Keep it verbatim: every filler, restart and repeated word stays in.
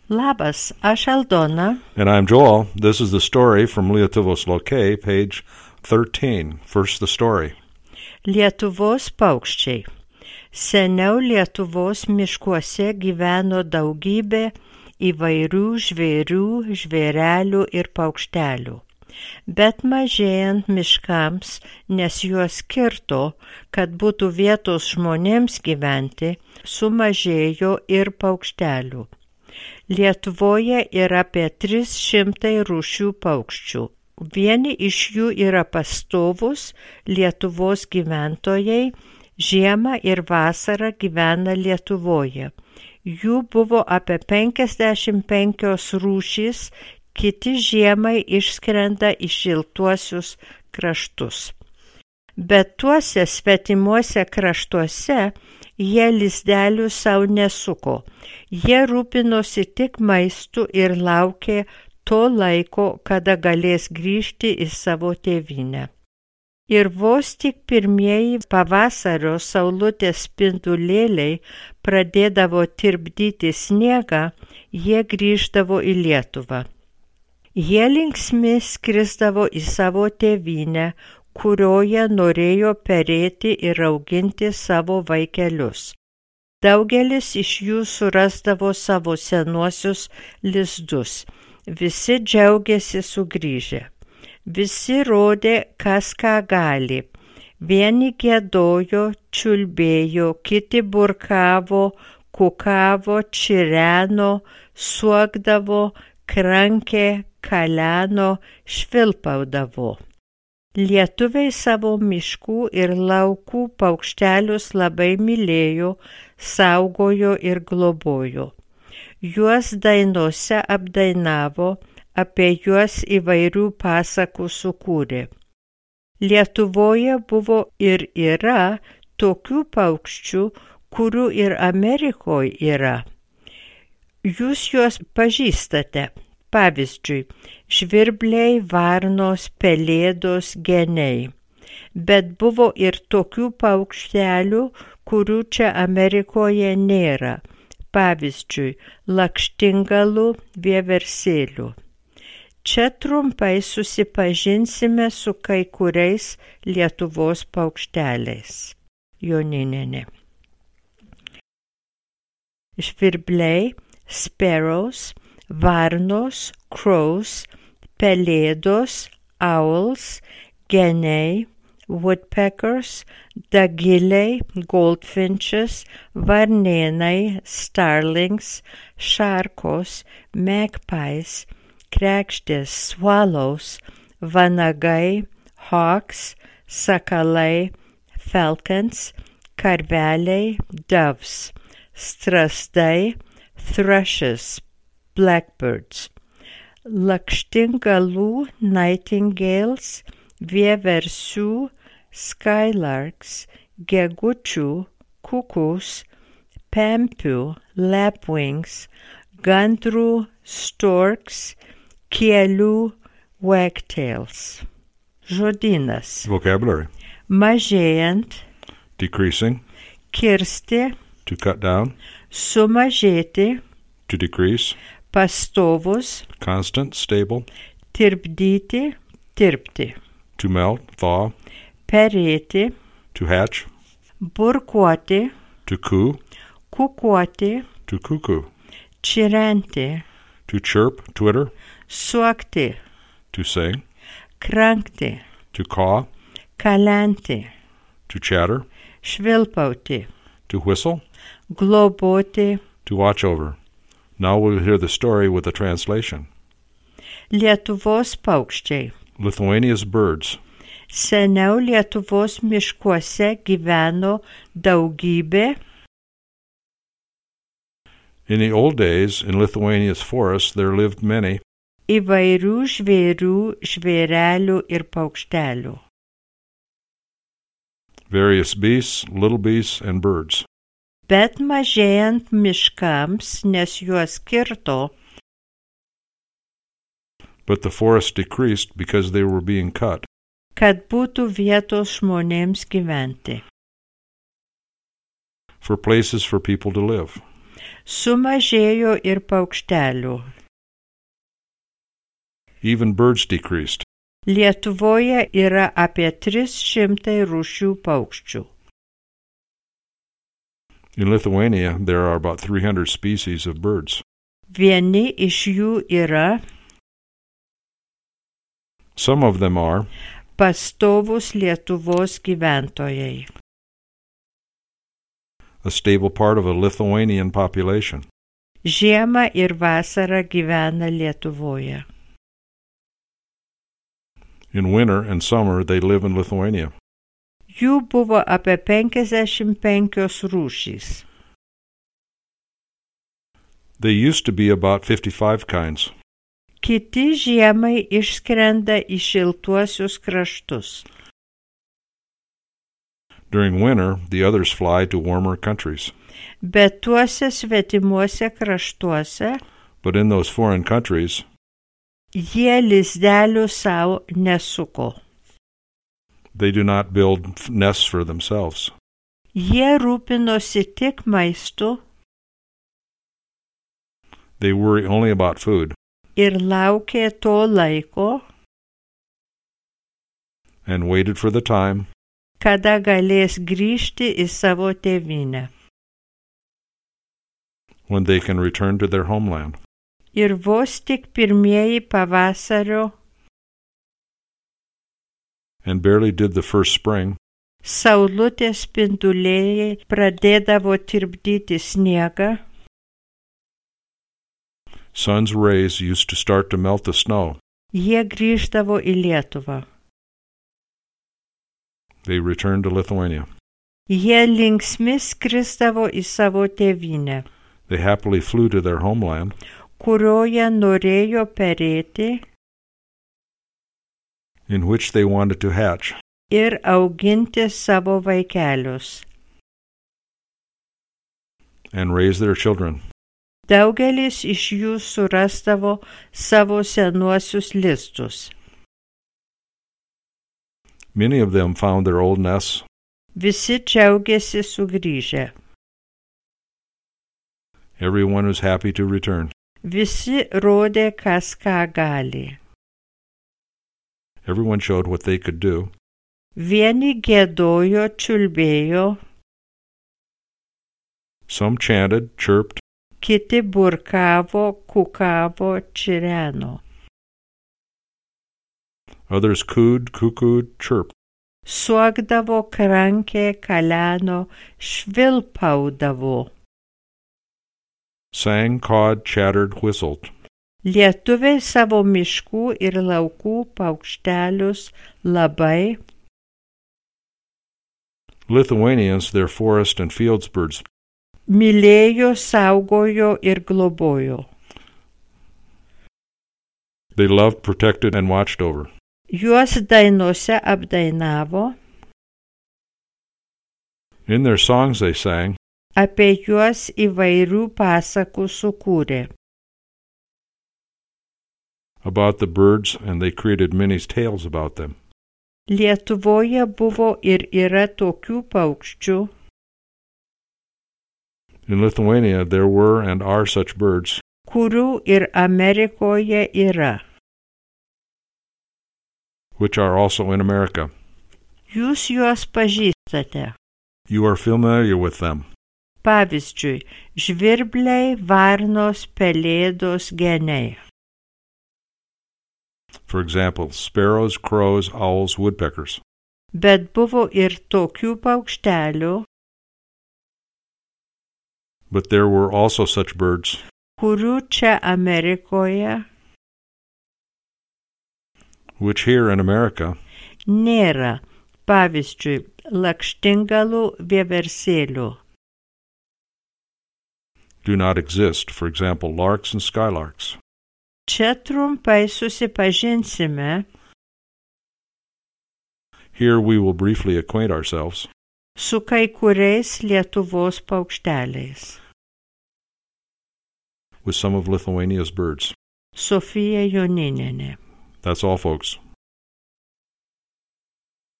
Labas, aš Aldona. And I'm Joel. This is the story from Lietuvos Lokai, page thirteen. First, the story. Lietuvos paukščiai. Seniau Lietuvos miškuose gyveno daugybė įvairių žvėrių, žvėrelių ir paukštelių. Bet mažėjant miškams, nes juos kirto, kad būtų vietos žmonėms gyventi, sumažėjo ir paukštelių. Lietuvoje yra apie tris šimtai rūšių paukščių. Vieni iš jų yra pastovūs Lietuvos gyventojai, žiemą ir vasarą gyvena Lietuvoje. Jų buvo apie penkiasdešimt penkios rūšys, kiti žiemai išskrenda į šiltuosius kraštus. Bet tuose svetimuose kraštuose jie lizdelių savo nesuko. Jie rūpinosi tik maistu ir laukė to laiko, kada galės grįžti į savo tėvynę. Ir vos tik pirmieji pavasario saulutės spindulėliai pradėdavo tirpdyti sniegą, jie grįždavo į Lietuvą. Jie linksmi skrisdavo į savo tėvynę, kurioje norėjo perėti ir auginti savo vaikelius. Daugelis iš jų surasdavo savo senuosius lizdus. Visi džiaugiasi sugrįžę. Visi rodė, kas ką gali. Vieni giedojo, čiulbėjo, kiti burkavo, kukavo, čireno, suokdavo, krankė, kaleno, švilpaudavo. Lietuviai savo miškų ir laukų paukštelius labai mylėjo, saugojo ir globojo. Juos dainose apdainavo, apie juos įvairių pasakų sukūrė. Lietuvoje buvo ir yra tokių paukščių, kurių ir Amerikoje yra. Jūs juos pažįstate. Pavyzdžiui, žvirbliai, varnos, pelėdos, geniai. Bet buvo ir tokių paukštelių, kurių čia Amerikoje nėra. Pavyzdžiui, lakštingalų, vieversėlių. Čia trumpai susipažinsime su kai kuriais Lietuvos paukšteliais. Joninienė. Žvirbliai, sparrows, varnos, crows, pelėdos, owls, geniai, woodpeckers, dagiliai, goldfinches, varnėnai, starlings, šarkos, magpies, kregždės, swallows, vanagai, hawks, sakalai, falcons, karveliai, doves, strazdai, thrushes, blackbirds, lakštingalų, nightingales, vieversių, skylarks, gegučių, kukus, pempių, lapwings, gandrų, storks, kielių, wagtails. Žodynas. Vocabulary. Mažėjant, Decreasing, kirsti, to cut down, sumažėti, to decrease, pastovus, constant, stable, tirpdyti, tirpti, to melt, thaw, perėti, to hatch, burkuoti, to coo, kukuoti, to cuckoo, čirenti, to chirp, twitter, suokti, to sing, krankti, to caw, kalenti, to chatter, švilpauti, to whistle, globoti. To watch over. Now we'll hear the story with the translation. Lietuvos paukščiai. Lithuania's birds. Seniau Lietuvos miškuose gyveno daugybė. In the old days, in Lithuania's forests, there lived many Įvairių žvėrių, žvėrelių ir paukštelių. various beasts, little beasts, and birds. Bet mažėjant miškams, nes juos kirto, But the forest decreased because they were being cut. kad būtų vietos žmonėms gyventi. For places for people to live. Sumažėjo ir paukštelių. Even birds decreased. Lietuvoje yra apie tris šimtai rūšių paukščių. In Lithuania, there are about three hundred species of birds. Vieni iš jų yra Some of them are pastovūs Lietuvos gyventojai. a stable part of a Lithuanian population. Žiemą ir vasarą gyvena Lietuvoje. In winter and summer, they live in Lithuania. Jų buvo apie penkiasdešimt penkios rūšys. There used to be about fifty-five kinds. Kiti žiemai išskrenda į šiltuosius kraštus. During winter, the others fly to warmer countries. Bet tuose svetimuose kraštuose But in those foreign countries, jie lizdelių savo nesuko. they do not build f- nests for themselves. Jie rūpinosi tik maistu They worry only about food ir laukė to laiko, and waited for the time kada galės grįžti į savo tėvynę. when they can return to their homeland. Ir vos tik pirmieji pavasario And barely did the first spring, saulutės spinduliai pradėdavo tirpdyti sniegą, sun's rays used to start to melt the snow. jie grįždavo į Lietuvą. They returned to Lithuania. Jie linksmi skrisdavo į savo tėvynę, They happily flew to their homeland, kurioje norėjo perėti in which they wanted to hatch ir auginti savo vaikelius. and raise their children. Daugelis iš jų surasdavo savo senuosius lizdus. Many of them found their old nests. Visi džiaugiasi sugrįžę. Everyone was happy to return. Visi rodė, kas ką gali. Everyone showed what they could do. Vieni giedojo, čiulbėjo, Some chanted, chirped, kiti burkavo, kukavo, čireno. others cooed, cuckooed, chirped. Suokdavo, krankė, kaleno, švilpaudavo. Sang, cawed, chattered, whistled. Lietuviai savo miškų ir laukų paukštelius labai Lithuanians their forest and fields birds. mylėjo, saugojo ir globojo. They loved, protected, and watched over. Juos dainose apdainavo, In their songs they sang apie juos įvairių pasakų sukūrė. about the birds, and they created many tales about them. Lietuvoje buvo ir yra tokių paukščių, In Lithuania there were and are such birds, kurių ir Amerikoje yra. which are also in America. Jūs juos pažįstate. You are familiar with them. Pavyzdžiui, žvirbliai, varnos, pelėdos, geniai. For example, sparrows, crows, owls, woodpeckers. Bet buvo ir tokių paukštelių, But there were also such birds, kurių čia Amerikoje which here in America nėra. Pavyzdžiui, lakštingalų vieversėlių. do not exist. For example, larks and skylarks. Čia trumpai susipažinsime Here we will briefly acquaint ourselves su kai kuriais Lietuvos paukšteliais. with some of Lithuania's birds. Sofija Joninienė. That's all, folks.